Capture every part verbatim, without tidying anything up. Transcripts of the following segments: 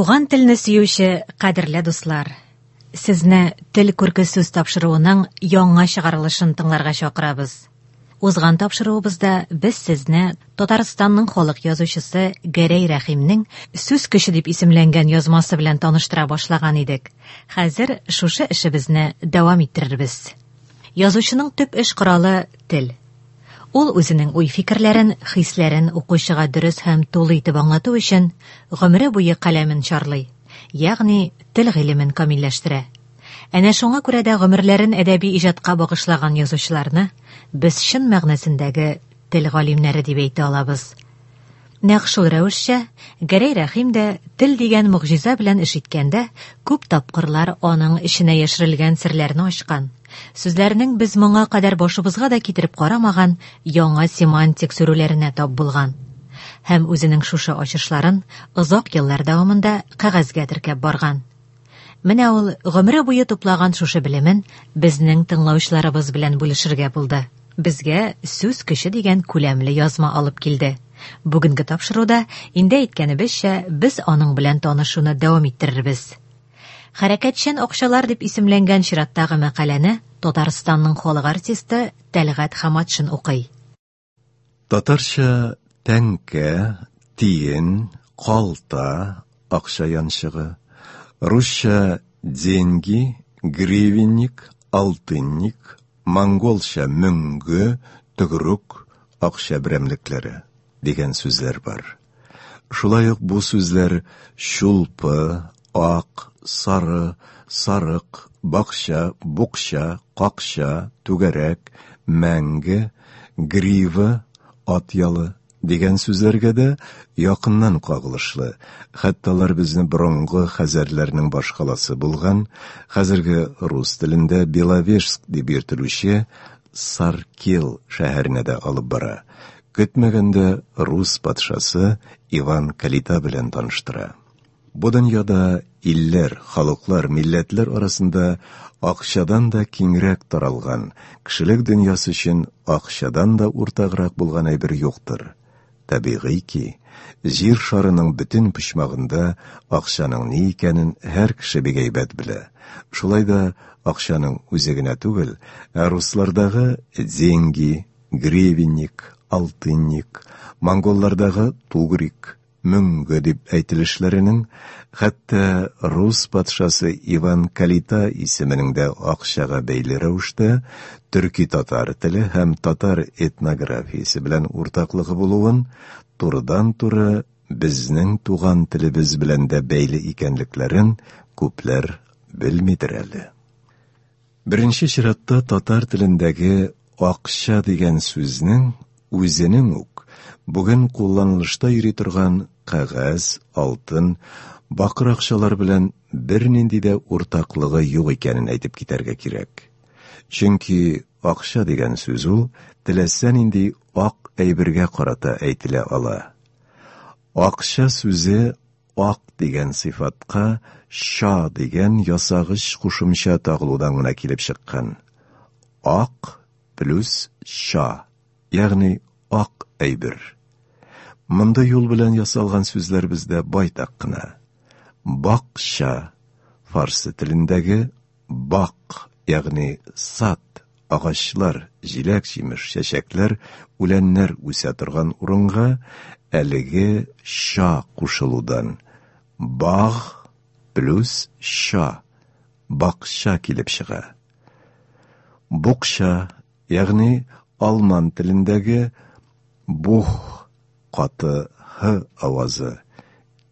Туган телне сөюче кадерле дуслар, сезне Тел күрке сүз тапшыруының яңа чыгарылышын тыңларга чакырабыз. Узган тапшыруыбызда без сезне Татарстанның халык язучысы Гәрәй Рәхимнең Сүз көче дип исемләнгән язмасы белән таныштыра башлаган идек. Хәзер шушы эшебезне дәвам иттерербез. Язучының төп эш коралы тел. Ул үзенең уй-фикерләрен, хисләрен укучыга дөрес һәм тулы итеп аңлату өчен гомере буе каләмен чарлый, ягъни тел гыйлемен камилләштерә. Әнә шуңа күрә дә гомерләрен әдәби иҗатка багышлаган язучыларны без чын мәгънәсендәге тел галимнәре дип әйтә алабыз. Нәкъ шул рәвешчә Гәрәй Рәхим дә тел дигән могҗиза белән эш иткәндә күп тапкырлар аның эченә яшерелгән серләрне ачкан, сүзләрнең без моңа кадәр башыбызга да китереп карамаган яңа семантик сүрүләренә тап булган. Һәм үзенең шушы ачышларын озак еллар дәвамында кәгазьгә теркәп барган. Менә ул гомере буе туплаган шушы белемен безнең тыңлаучыларыбыз белән бүлешергә булды. Безгә Сүз көче дигән күләмле язма алып килде. Бүгенге тапшыруда инде әйткәнебезчә, без аның белән танышуны дәвам иттерербез. Хәрәкәтчән акчалар дип исемләнгән чираттагы мәкаләне Татарстанның халык артисты Тәлгать Хаматшин укый. Татарча тәңкә, тиен, калта, акча янчыгы, русча деньги, гривенник, алтынник, монголча мөңге, төгрек, акча берәмлекләре дигән сүзләр бар. Шулай ук бу сүзләр чулпы, ак, сары, сарык, бакча, букча, какча, түгәрәк, мәңге, грива, ат ялы дигән сүзләргә дә якыннан кагылышлы. Хәтта алар безне борынгы хәзәрләрнең башкаласы булган, хәзерге рус телендә Беловежск дип йөртелүче Саркел шәһәренә дә алып бара. Көтмәгәндә рус патшасы Иван Калита белән таныштыра. Бу дөньяда илләр, халыклар, милләтләр арасында акчадан да киңрәк таралган, кешелек дөньясы өчен акчадан да уртаграк булган әйбер юктыр. Табигый ки, җир шарының бөтен почмагында акчаның ни икәнен һәр кеше бик әйбәт белә. Шулай да акчаның үзе генә түгел, ә руслардагы деньги, гривенник, алтынник, монголлардагы тугрик, мөңге дип әйтелешләренең, хәтта рус патшасы Иван Калита исеменең дә акчага бәйле рәвештә төрки-татар теле һәм татар этнографиясе белән уртаклыгы булуын турыдан-туры безнең туган телебез белән дә бәйле икәнлекләрен күпләр белмидер әле. Беренче чиратта татар телендәге акча дигән сүзнең үзенең үк бүген кулланылышта йөри торган кәгазь, алтын, бакыр акчалар белән бернинди дә уртаклыгы юк икәнен әйтеп китәргә кирәк. Чөнки акча дигән сүз ул теләсә нинди ак әйбергә карата әйтелә ала. Акча сүзе ак дигән сыйфатка ша дигән ясагыч кушымча тагылудан гына килеп чыккан. Ак плюс ша, ягъни ак әйбер. Монда юл белән ясалган сүзләр бездә байтак кына. Бакча, фарсы телендәге бак, ягъни сад, агачлар, җиләк-җимеш, чәчәкләр, үләннәр үсә торган урынга әлеге ша кушылудан баг плюс ша, бакча килеп чыга. Букча, ягъни алман телендәге бух каты һ авазы.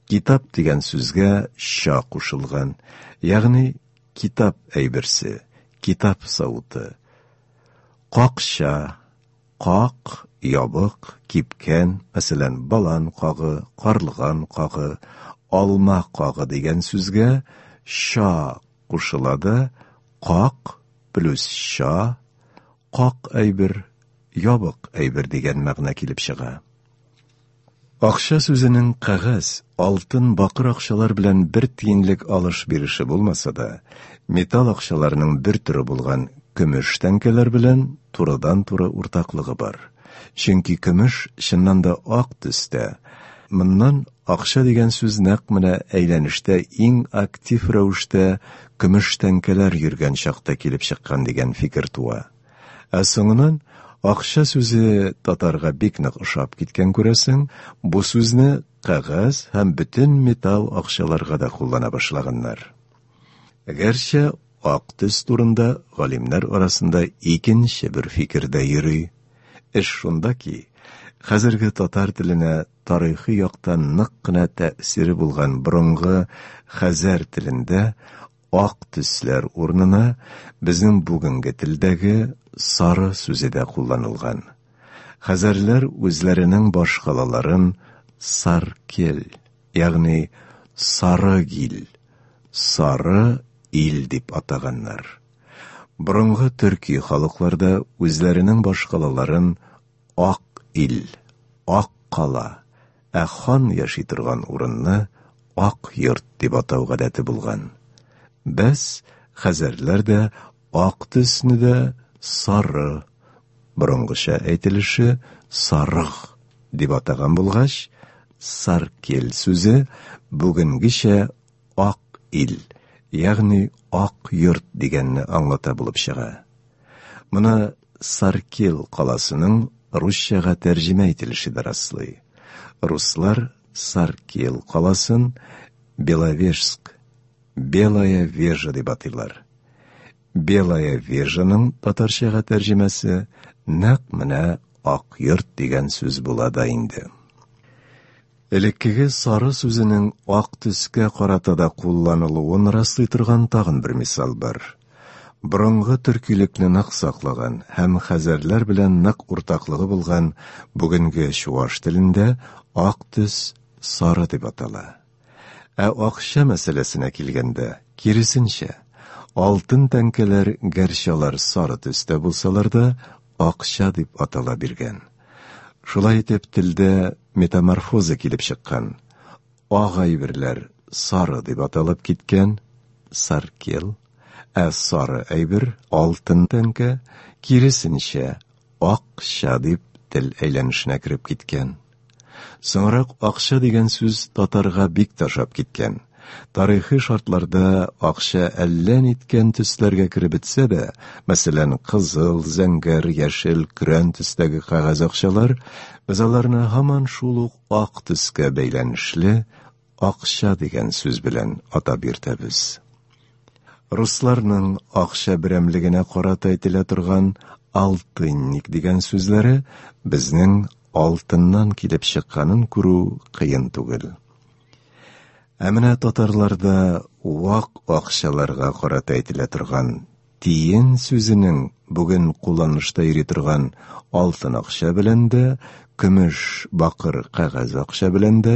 Китап дигән сүзгә ша кушылган, ягъни китап әйберсе, китап савыты. Какча, как, ябык, кипкән, мәсәлән, балан кагы, карлыган кагы, алма кагы дигән сүзгә ша кушыла да, как плюс ша, как әйбер, ябык әйбер дигән мәгънә килеп чыга. Акча сүзенең кәгазь, алтын, бакыр акчалар белән бер тиенлек алыш-биреше булмаса да, металл акчаларның бер төре булган көмеш тәңкәләр белән турыдан-туры уртаклыгы бар. Чөнки көмеш чыннан да ак төстә, Моннан акча дигән сүз нәкъ менә әйләнештә иң актив рәвештә көмеш тәңкәләр йөргән чакта килеп чыккан дигән фикер туа. Ә соңыннан акча сүзе татарга бик нык ошап киткән күрәсең, бу сүзне кәгазь һәм бөтен металл акчаларга да куллана башлаганнар. Гәрчә ак төс турында галимнәр арасында икенче бер фикер дә йөри. Эш шунда ки, хәзерге татар теленә тарихи яктан нык кына тәэсире булган борынгы хәзәр телендә ак төсләр урынына безнең бүгенге телдәге сары сүзе дә кулланылган. Хәзәрләр үзләренең башкалаларын Саркел, ягъни Сарыгил, Сары ил дип атаганнар. Борынгы төрки халыкларда үзләренең башкалаларын Ак ил, Ак кала, ә хан яши торган урынны Ак йорт дип атау гадәте булган. Бәс, хәзәрләр дә ак төсне дә сары, борынгыча әйтелеше сарык дип атаган булгач, Саркел сүзе бүгенгечә ак ил, ягъни ак йорт дигәнне аңлата булып чыга. Моны Саркел каласының русчага тәрҗемә ителеше дә раслый. Руслар Саркел каласын Беловежск, Белая Вежа дип атыйлар. Белая Вежаның татарчага тәрҗемәсе нәкъ менә ак йорт дигән сүз була да инде. Элеккеге сары сүзенең ак төскә карата да кулланылуын раслый торган тагын бер мисал бар. Борынгы төркилекне нык саклаган һәм хәзәрләр белән нык уртаклыгы булган бүгенге чуаш телендә ак төс сары дип атала. Ә акча мәсьәләсенә килгәндә, киресенчә, алтын тәңкәләр гәрчә алар сары төстә булсалар да, акча дип атала биргән. Шулай итеп телдә метаморфоза килеп чыккан. Ак әйберләр сары дип аталып киткән, саркел, ә сары әйбер алтын тәңкә, киресенчә, акча дип тел әйләнешенә кереп киткән. Соңрак акча дигән сүз татарга бик ташап киткән. Тарихи шартларда акча әллә ниткән төсләргә кереп бетсә дә, мәсәлән, кызыл, зәңгәр, яшел, көрән төстәге кәгазь акчалар, без аларны һаман шул ук ак төскә бәйләнешле акча дигән сүз белән атап йөртәбез. Русларның акча берәмлегенә карата әйтелә торган алтынник дигән сүзләре безнең алтыннан килеп чыкканын күрү кыен түгел. Ә менә татарларда вак акчаларга карата әйтелә торган тиен сүзенең бүген кулланышта йөри торган алтын акча белән дә, көмеш, бакыр, кәгазь акча белән дә,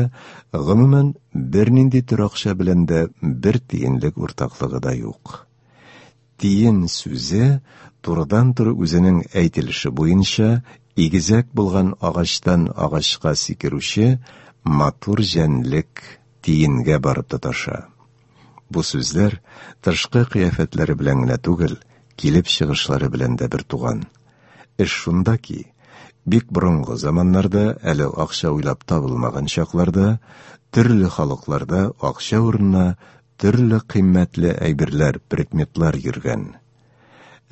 гомумән бернинди төр акча белән дә бер тиенлек уртаклыгы да юк. Тиен сүзе турыдан-туры үзенең әйтелеше буенча игезәк булган агачтан агачка сикерүче матур җәнлек тиенгә барып тоташа. Бу сүзләр тышкы кыяфәтләре белән генә түгел, килеп чыгышлары белән дә бер туган. Эш шунда ки, бик борынгы заманнарда, әле акча уйлап табылмаган чакларда, төрле халыкларда акча урынына төрле кыйммәтле әйберләр, предметлар йөргән.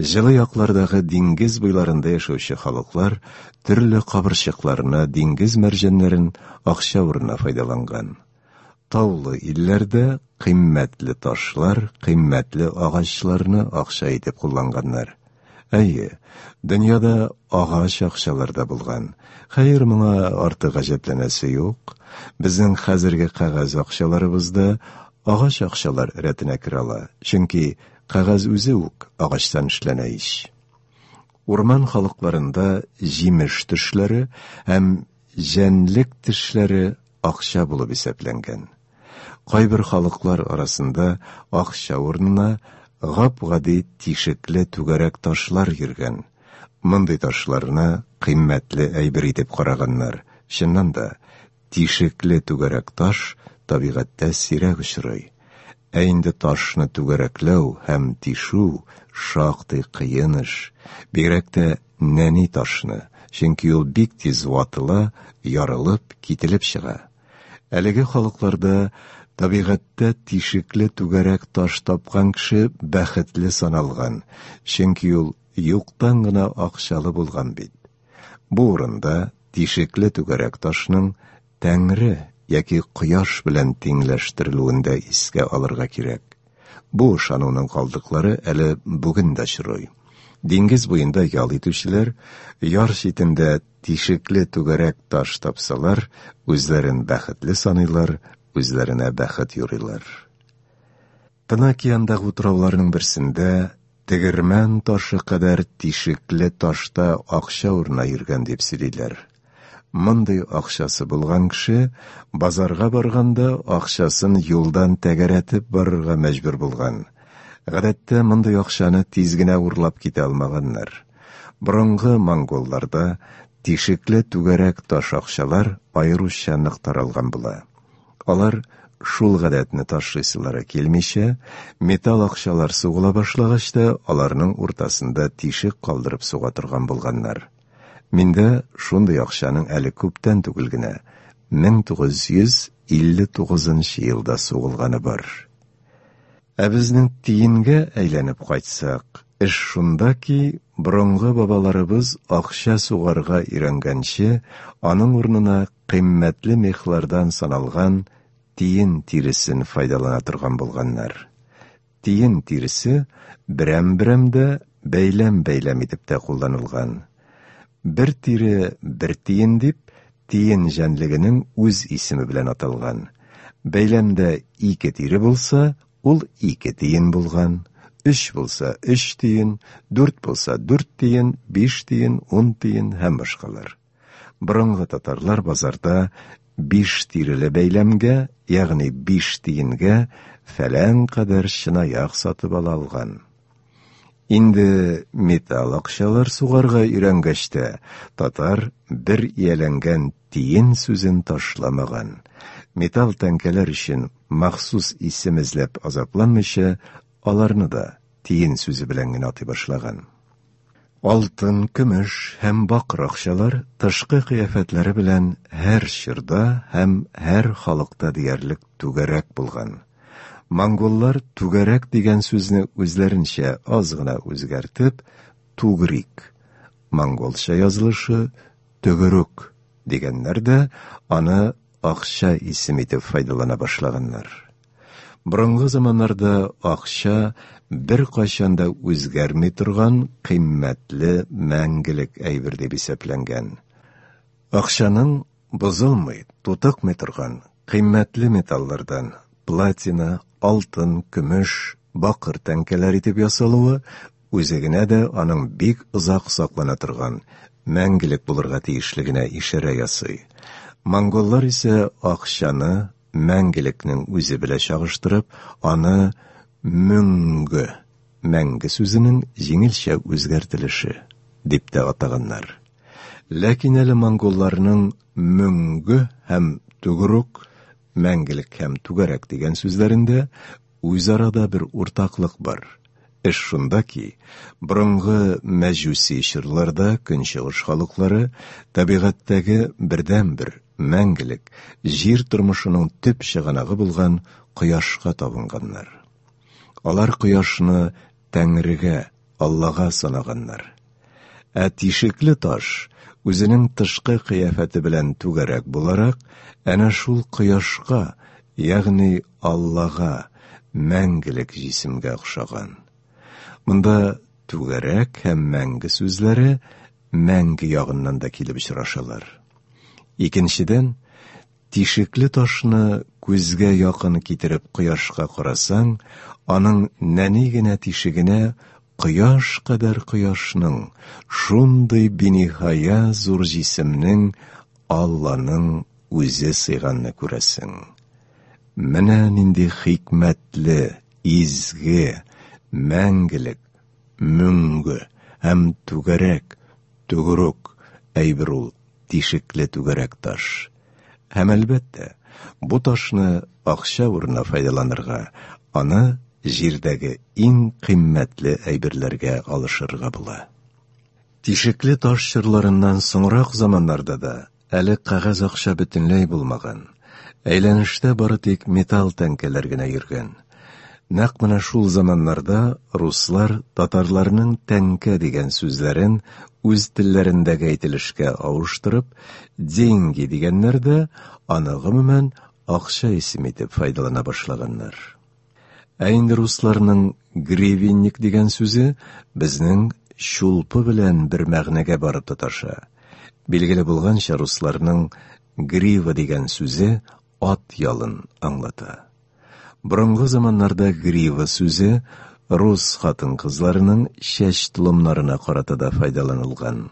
Җылы яклардагы диңгез буйларында яшәүче халыклар төрле кабырчыкларны, диңгез мәрҗәннәрен акча урынына файдаланган. Таулы илләрдә кыйммәтле ташлар, кыйммәтле агачларны акча итеп кулланганнар. Әйе, дөньяда агач акчалар да булган. Хәер, моңа артык гаҗәпләнәсе юк. Безнең хәзерге кәгазь акчаларыбыз да агач акчалар рәтенә керә ала, чөнки кәгазь үзе үк агачтан эшләнә ич. Урман халыкларында җимеш төшләре һәм җәнлек тешләре акча булып исәпләнгән. Кайбер халыклар арасында акча урынына гап-гади тишекле түгәрәк ташлар йөргән. Мондый ташларны кыйммәтле әйбер итеп караганнар. Чыннан да, тишекле түгәрәк таш табигатьтә сирәк очрый. Ә инде ташны түгәрәкләү һәм тишү шактый кыен эш. Бигрәк тә нәни ташны, чөнки ул бик тиз ватыла, ярылып, кителеп чыга. Әлеге халыкларда табигатьтә тишекле түгәрәк таш тапкан кеше бәхетле саналган, чөнки ул юктан гына акчалы булган бит. Бу урында тишекле түгәрәк ташның Тәңре яки кояш белән тиңләштерелүен дә искә алырга кирәк. Бу ышануның калдыклары әле бүген дә очрый. Диңгез буенда ял итүчеләр яр читендә тишекле түгәрәк таш тапсалар, үзләрен бәхетле саныйлар, үзләренә бәхет юрыйлар. Тын океандагы утрауларның берсендә тегермән ташы кадәр тишекле ташта акча урына йөргән дип сөйлиләр. Мондый акчасы булган кеше базарга барганда акчасын юлдан тәгәрәтеп барырга мәҗбүр булган. Гадәттә мондый акчаны тиз генә урлап китә алмаганнар. Борынгы монголларда тишекле түгәрәк таш акчалар аеруча нык таралган була. Алар шул гадәтне ташлыйсылары килмичә, металл акчалар сугыла башлагач та, аларның уртасында тишек калдырып суга торган булганнар. Миндә шундый акчаның әле күптән түгел генә, мең тугыз йөз илле тугызынчы елда сугылганы бар. Ә безнең тиенгә әйләнеп кайтсак, эш шунда ки, борынгы бабаларыбыз акча сугарга өйрәнгәнче, аның урынына кыйммәтле мехлардан саналган тиен тиресен файдалана торган булганнар. Тиен тиресе берәм-берәм дә, бәйләм-бәйләм итеп тә кулланылган. Бер тире бер тиен дип, тиен җәнлегенең үз исеме белән аталган. Бәйләмдә ике тире булса, ул ике тиен булган. Өч булса өч тиен, дүрт булса дүрт тиен, биш тиен, ун тиен һәм башкалар. Борынгы татарлар базарда биш тиреле бәйләмгә, ягъни биш тиенгә фәлән кадәр чынаяк сатып ала алган. Инде металл акчалар сугарга өйрәнгәч тә, татар бер ияләнгән тиен сүзен ташламаган. Металл тәңкәләр өчен махсус исем эзләп азапланмыйча, аларны да тиен сүзе белән генә атый башлаган. Алтын, көмеш һәм бакыр акчалар тышкы кыяфәтләре белән һәр чорда һәм һәр халыкта диярлек түгәрәк булган. Монголлар түгәрәк дигән сүзне үзләренчә аз гына үзгәртеп, тугрик, монголча язылышы төгерүк дигәннәр дә аны акча исем итеп файдалана башлаганнар. Борынгы заманнарда акча бер кайчан да үзгәрми торган кыйммәтле мәңгелек әйбер дип исәпләнгән. Акчаның бозылмый, тутыкмый торган кыйммәтле металлардан платина, алтын, көмеш, бакыр тәңкәләр итеп ясалуы үзе генә дә аның бик озак саклана торган, мәңгелек булырга тиешлегенә ишарә ясый. Монголлар исә акчаны мәңгелекнең үзе белән чагыштырып, аны мөңгө, мәңге сүзенең җиңелчә үзгәртелеше дип тә атаганнар. Ләкин әле монголларның мөңгө һәм түгүрүк, мәңгелек һәм түгәрәк дигән сүзләрендә үзара да бер уртаклык бар. Эш шунда ки, борынгы мәҗүси чорларда көнчыгыш халыклары табигатьтәге бердәнбер мәңгелек җир тормышының төп чыганагы булган кояшка табынганнар. Алар кояшны Тәңрегә, Аллага санаганнар. Ә тишекле таш үзенең тышкы кыяфәте белән түгәрәк буларак, әнә шул кояшка, ягъни Аллага, мәңгелек җисемгә охшаган. Монда түгәрәк һәм мәңге сүзләре мәңге ягыннан да килеп очрашалар. Икенчедән, тишекле ташны күзгә якын китереп кояшка карасаң, аның нәни генә тишегенә кояш кадәр кояшның, шундый биниһая зур җисемнең Алланың үзе сыйганны күрәсең. Менә нинди хикмәтле, изге, мәңгелек, мөңге һәм түгәрәк, түгүрүк әйбер ул тишекле түгәрәк таш. Һәм әлбәттә, бу ташны акча урынына файдаланырга, аны җирдәге иң кыйммәтле әйберләргә алышырга була. Тишекле таш чорларыннан соңрак заманнарда да әле кәгазь акча бөтенләй булмаган. Әйләнештә бары тик металл тәңкәләр генә йөргән. Нәкъ менә шул заманнарда руслар татарларның тәңкә дигән сүзләрен үз телләрендәге әйтелешкә авыштырып, деньги дигәннәр дә аны гомумән акча исеме итеп файдалана башлаганнар. Ә инде русларның гривенник дигән сүзе безнең чулпы белән бер мәгънәгә барып тоташа. Билгеле булганча, русларның грива дигән сүзе ат ялын аңлата. Борынгы заманнарда грива сүзе рус хатын-кызларының чәч толымнарына карата да файдаланылган.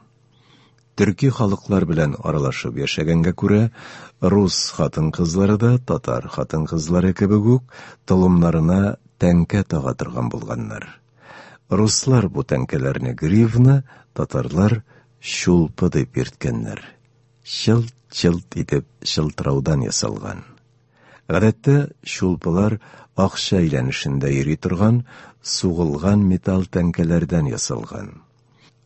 Төрки халыклар белән аралашып яшәгәнгә күрә, рус хатын-кызлары да татар хатын-кызлары кебек үк толымнарына тәңкә тага торган булганнар. Руслар бу тәңкәләрне гривна, татарлар чулпы дип йөрткәннәр. Чылт-чылт итеп чылтыраудан ясалган. Гадәттә чулпылар акча әйләнешендә йөри торган сугылган металл тәңкәләрдән ясалган.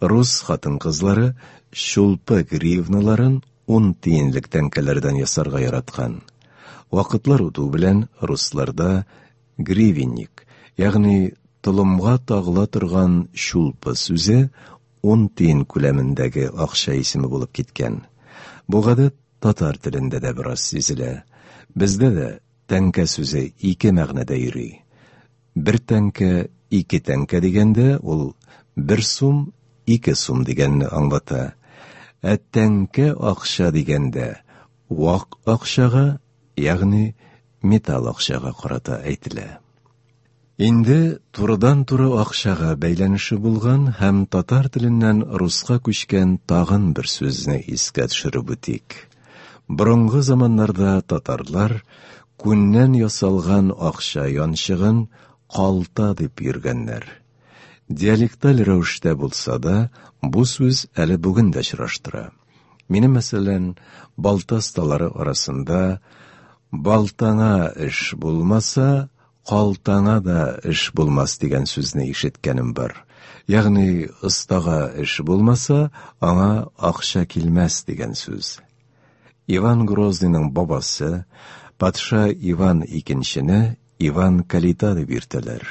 Рус хатын-кызлары чулпы гривналарын ун тиенлек тәңкәләрдән ясарга яраткан. Вакытлар үтү белән русларда гривенник, ягъни толымга тагыла торган чулпы сүзе ун тиен күләмендәге акча исеме булып киткән. Бу гадәт татар телендә дә бераз сизелә. Бездә дә тәңкә сүзе ике мәгънәдә йөри. Бер тәңкә, ике тәңкә дигәндә ул бер сум, ике сум дигәнне аңлата. Ә тәңкә акча дигәндә вак акчага, ягъни металл акчага карата әйтелә. Инде турыдан-туры акчага бәйләнеше булган һәм татар теленнән руска күчкән тагын бер сүзне искә төшереп үтик. Борынгы заманнарда татарлар күннән ясалган акча янчыгын калта дип йөргәннәр. Диалекталь рәвештә булса да, бу сүз әле бүген дә очраштыра. Минем, мәсәлән, балта осталары арасында балтаңа эш булмаса, калтаңа да эш булмас дигән сүзне ишеткәнем бар. Ягъни остага эш булмаса, аңа акча килмәс дигән сүз. Иван Грозныйның бабасы, патша Иван Икенчене Иван Калита дип йөртәләр.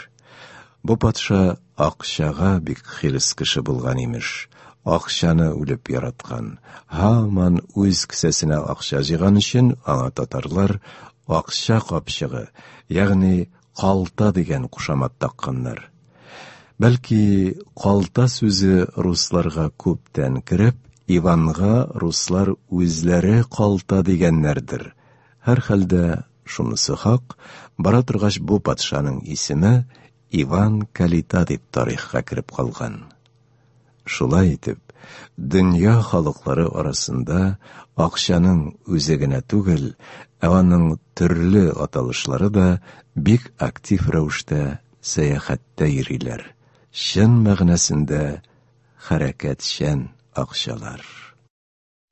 Бу патша акчага бик хирыс кеше булган имеш. Акчаны үлеп яраткан. Һаман үз кесәсенә акча җыйган өчен аңа татарлар акча капчыгы, ягъни калта дигән кушамат такканнар. Бәлки калта сүзе русларга күптән кереп, Иванга руслар үзләре калта дигәннәрдер. Һәр хәлдә шунысы хак, бара торгач бу патшаның исеме Иван Калита дип тарихка кереп калган. Шулай итеп, дөнья халыклары арасында акчаның үзе генә түгел, ә аның төрле аталышлары да бик актив рәвештә сәяхәттә йөриләр. Чын мәгънәсендә хәрәкәтчән акчалар.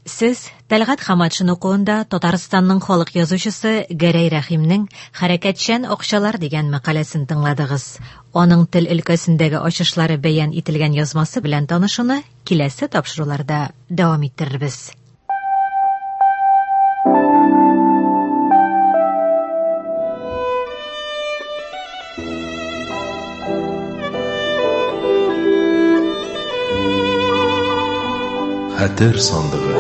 Сез Тәлгать Хаматшин укуында Татарстанның халык язучысы Гәрәй Рәхимнең «Хәрәкәтчән акчалар» дигән мәкаләсен тыңладыгыз. Аның тел өлкәсендәге ачышлары бәян ителгән язмасы белән танышуны киләсе тапшыруларда дәвам иттерербез. Хәтер сандыгы.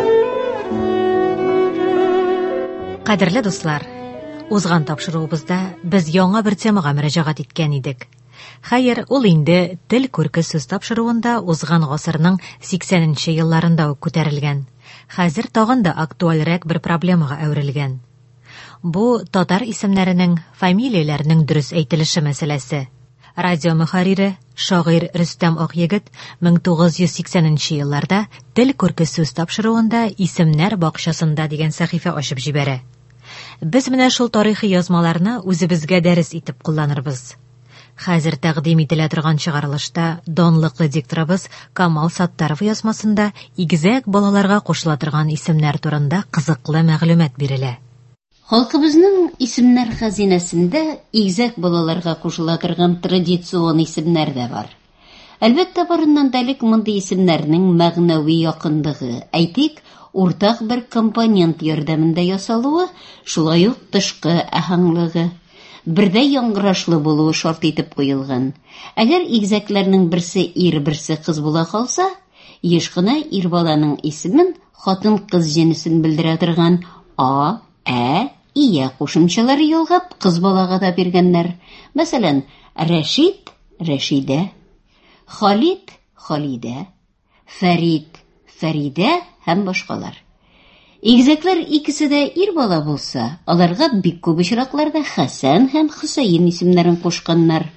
Кадерле дуслар, узган тапшыруыбызда без яңа бер темага мөрәҗәгать иткән идек. Хәер, ул инде тел күрке сүз тапшыруында узган гасырның сиксәненче елларында ук күтәрелгән. Хәзер тагын да актуальрәк бер проблемага әверелгән. Бу татар исемнәренең, фамилияләренең дөрес әйтелеше мәсьәләсе. Радио мөхәррире, шагыйрь Рөстәм Акъегет мең тугыз йөз сиксәненче елларда Тел күрке сүз тапшыруында Исемнәр бакчасында дигән сәхифә ачып җибәрә. Без менә шул тарихи язмаларны үзебезгә дәрес итеп кулланырбыз. Хәзер тәкъдим ителә торган чыгарылышта данлыклы дикторыбыз Камал Саттаров язмасында игезәк балаларга кушыла торган исемнәр турында кызыклы мәгълүмат бирелә. Халкыбызның исемнәр хәзинәсендә игезәк балаларга кушыла торган традицион исемнәр дә бар. Әлбәттә, барыннан да элек мондый исемнәрнең мәгънәви якынлыгы, әйтик, уртак бер компонент ярдәмендә ясалуы, шулай ук тышкы аһәңлеге, бердәй яңгырашлы булуы шарт итеп куелган. Әгәр игезәкләрнең берсе ир, берсе кыз була калса, еш кына ир баланың исемен хатын-кыз җенесен белдерә торган а, ә, ия кушымчалары ялгап кыз балага да биргәннәр. Мәсәлән, Рәшит, Рәшидә, Халид, Халидә, Фәрид, Фәридә һәм башкалар. Игезәкләр икесе дә ир бала булса, аларга бик күп очракларда Хәсән һәм Хөсәен исемнәрен кушканнар.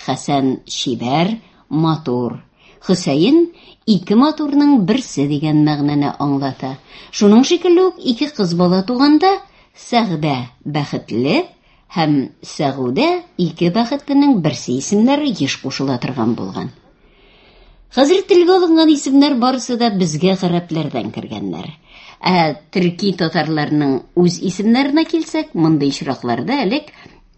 Хәсән чибәр, матур. Хөсәен ике матурның берсе дигән мәгънәне аңлата. Шуның шикелле үк ике кыз бала туганда Сәгъдә бәхетле һәм Сәгүдә ике бәхетленең берсе исемнәре еш кушыла торган булган. Хәзер телгә алынган исемнәр барысы да безгә гарәпләрдән кергәннәр. Ә төрки татарларның үз исемнәренә килсәк, мондый очракларда элек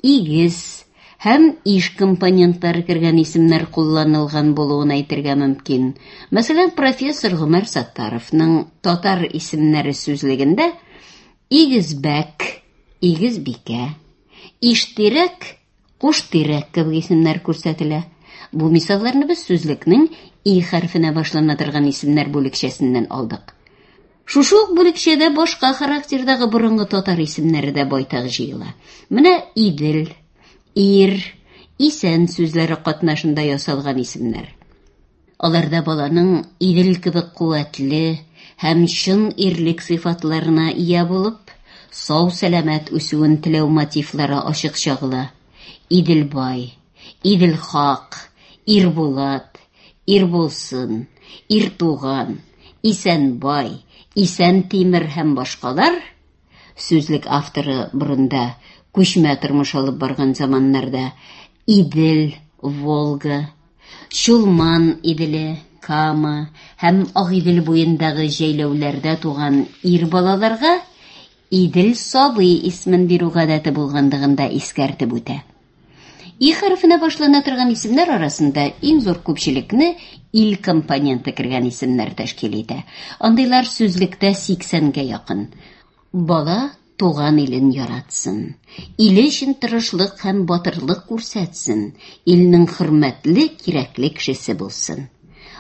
игез һәм иш компонентлары кергән исемнәр кулланылган булуын әйтергә мөмкин. Мәсәлән, профессор Гомәр Саттаровның татар исемнәре сүзлегендә Игезбәк, Игезбикә, Иштирәк, Куштирәк кебек исемнәр күрсәтелә. Бу мисалларны без сүзлекнең И хәрефенә башлана торган исемнәр бүлекчәсеннән алдык. Шушы ук бүлекчәдә башка характердагы борынгы татар исемнәре дә байтак җыела. Менә Идел, Ир, Исән сүзләре катнашында ясалган исемнәр. Аларда баланың Идел кебек куәтле һәм чын ирлек сыйфатларына ия булып, сау-сәламәт үсүен теләү мотивлары ачык чагыла. Иделбай, Иделхак, Ирбулат, Ирбулсын, Иртуган, Исәнбай, Исән Тимер һәм башкалар. Сүзлек авторы борында күчмә тормыш алып барган заманнарда Идел, Волга, Чулман Иделе, Кама һәм Агыйдел буендагы җәйләүләрдә туган ир балаларга Идел сабый исемен бирү гадәте булганлыгын да искәртеп үтә. И хәрефенә башлана торган исемнәр арасында иң зур күпчелекне ил компоненты кергән исемнәр тәшкил итә. Андыйлар сүзлектә сиксәнгә якын. Бала туган илен яратсын, иле өчен тырышлык һәм батырлык күрсәтсен, илнең хөрмәтле, кирәкле кешесе булсын.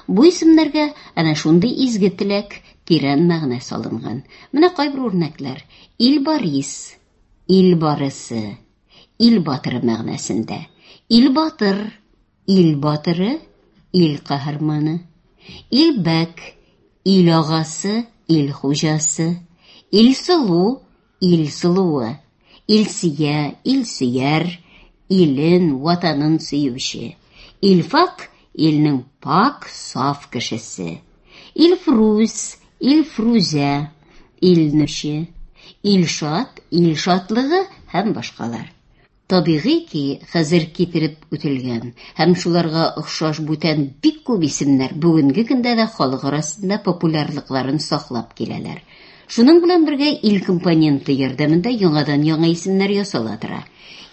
Бу исемнәргә әнә шундый изге теләк, тирән мәгънә салынган. Менә кайбер үрнәкләр. Илбарис, ил барысы, ил батыры мәгънәсендә. Ил батыр, ил батыры, ил каһарманы. Илбәк, ил агасы, ил хуҗасы. Илсылу, ил сылуы. Илсия, илсөяр, илен, ватанын сөюче. Илфак, илнең пак, саф кешесе. Илфрүз, Илфрүзә, илнүче. Илшат, ил шатлыгы һәм башкалар. Табигый ки, хәзер китереп үтелгән һәм шуларга охшаш бүтән бик күп исемнәр бүгенге көндә дә халык арасында популярлыкларын саклап киләләр. Шуның белән бергә ил компоненты ярдәмендә яңадан яңа исемнәр ясала тора.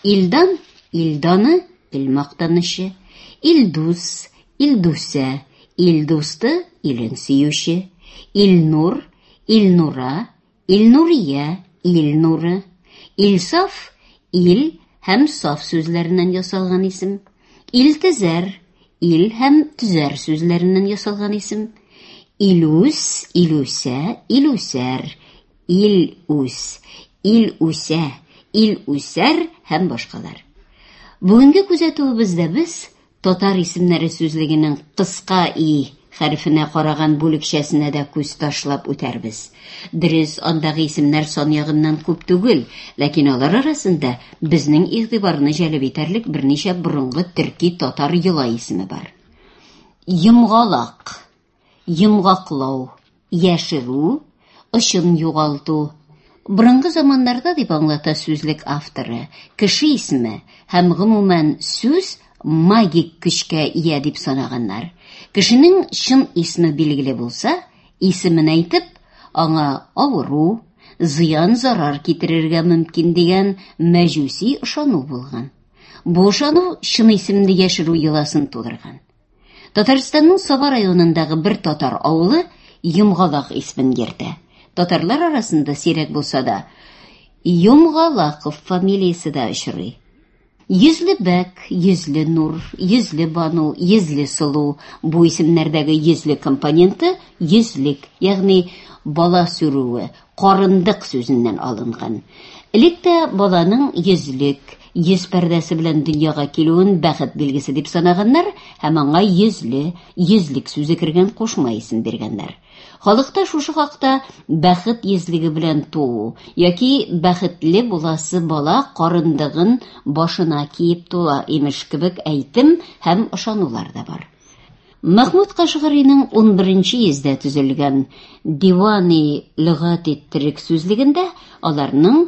Илдан, Илданы, ил мактанычы, Илдус, Илдусә, Илдусты, илен сөюче, Илнур, Илнура, Илнурия, Илнуры, Илсаф, ил һәм саф сүзләреннән ясалган исем, Илтезәр, ил һәм төзәр сүзләреннән ясалган исем, Илүс, Илүсә, Илүсәр, Илүс, Илүсә, Илүсәр һәм башкалар. Бүгенге күзәтүебездә без татар исемнәре сүзлегенең кыска и хәрефенә караган бүлекчәсенә дә күз ташлап үтәрбез. Дөрес, андагы исемнәр сан ягыннан күп түгел, ләкин алар арасында безнең игътибарны җәлеп итәрлек берничә борынгы төрки татар йола исеме бар. Йомгалак, йомгаклау, яшерү, очын югалту. Борынгы заманнарда дип аңлата сүзлек авторы, кеше исеме һәм гомумән сүз магик көчкә ия дип санаганнар. Кешенең чын исеме билгеле булса, исемен әйтеп, аңа авыру, зыян зарар китерергә мөмкин дигән мәҗүси ышану булган. Бу ышану чын исемне яшерү йоласын тудырган. Татарстанның Саба районындагы бер татар авылы Йомгалак исемен йөртә. Татарлар арасында сирәк булса да, Йомгалаков фамилиясе дә очрый. Йөзле бәк, йөзле нур, йөзле бану, йөзле сылу бу исемнәрдәге йөзле компоненты йөзлек, ягъни бала сүрүе, карындык сүзеннән алынган. Элек тә баланың йөзлек, йөз пәрдәсе белән дөньяга килүен бәхет билгесе дип санаганнар һәм аңа йөзле, йөзлек сүзе кергән кушма исем биргәннәр. Халыкта шушы хакта бәхет йөзлеге белән туу яки бәхетле буласы бала карындыгын башына киеп туа имеш кебек әйтем һәм ышанулар да бар. Мәхмүд Кашгариның ун беренче йөздә төзелгән Дивани лөгати төрек сүзлегендә аларның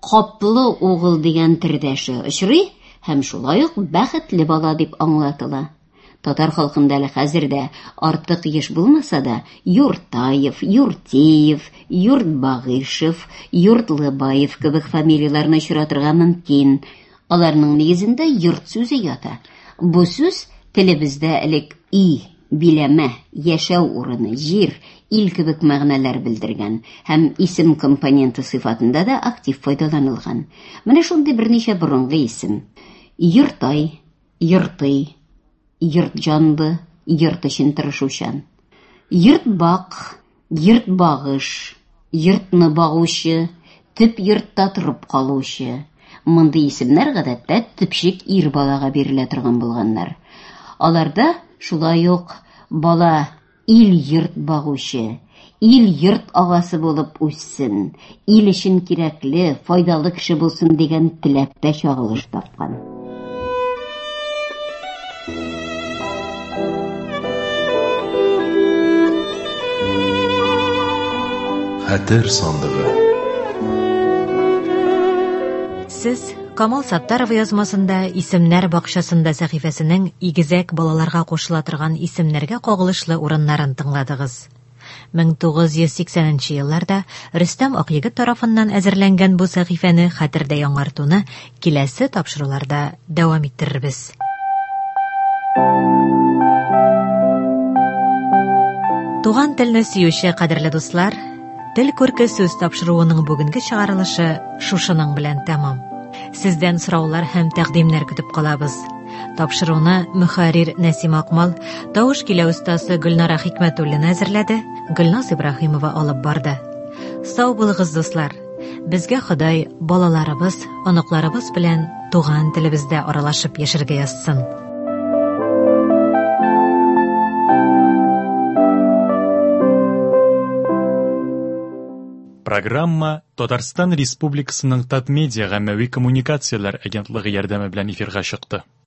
каплы угыл дигән төрдәше очрый һәм шулай ук бәхетле бала дип аңлатыла. Татар халкында әле хәзер дә артык еш булмаса да, Юртаев, Юртеев, Юртбагышев, Юртлыбаев кебек фамилияләрне очратырга мөмкин. Аларның нигезендә йорт сүзе ята. Бу сүз телебездә элек өй, биләмә, яшәү урыны, җир, ил кебек мәгънәләр белдергән һәм исем компоненты сыйфатында да актив файдаланылган. Менә шундый берничә борынгы исем: Йортай, Йортый, йорт җанлы, йорт өчен тырышучан. Йортбак, йортбагыш, йортны багучы, төп йортта торып калучы. Мондый исемнәр гадәттә төпчек ир балага бирелә торган булганнар. Аларда шулай ук бала ил йорт багучы, ил йорт агасы булып үссен, ил өчен кирәкле, файдалы кеше булсын дигән теләк тә чагылыш тапкан. Хәтер сандыгы. Сез Камал Саттаров язмасында Исемнәр бакчасында сәхифәсенең игезәк балаларга кушыла торган исемнәргә кагылышлы урыннарын тыңладыгыз. мең тугыз йөз сиксәненче елларда Рөстәм Акъегет тарафыннан әзерләнгән бу сәхифәне хәтердә яңартуны киләсе тапшыруларда дәвам иттерербез. Туган телне сөюче кадерле дуслар, Тел күрке сүз тапшыруының бүгенге чыгарылышы шушының белән тәмам. Сездән сораулар һәм тәкъдимнәр көтеп калабыз. Тапшыруны мөхәррир Нәсим Акмал, тавыш килә остасы Гөлнара Хикмәтуллина әзерләде, Гөлназ Ибраһимова алып барды. Сау булыгыз, дуслар. Безгә Ходай балаларыбыз, оныкларыбыз белән туган телебездә аралашып яшәргә язсын. Программа Татарстан Республикасының Татмедиа гаммәви коммуникацияләр агентлыгы ярдәме белән эфирга чыкты.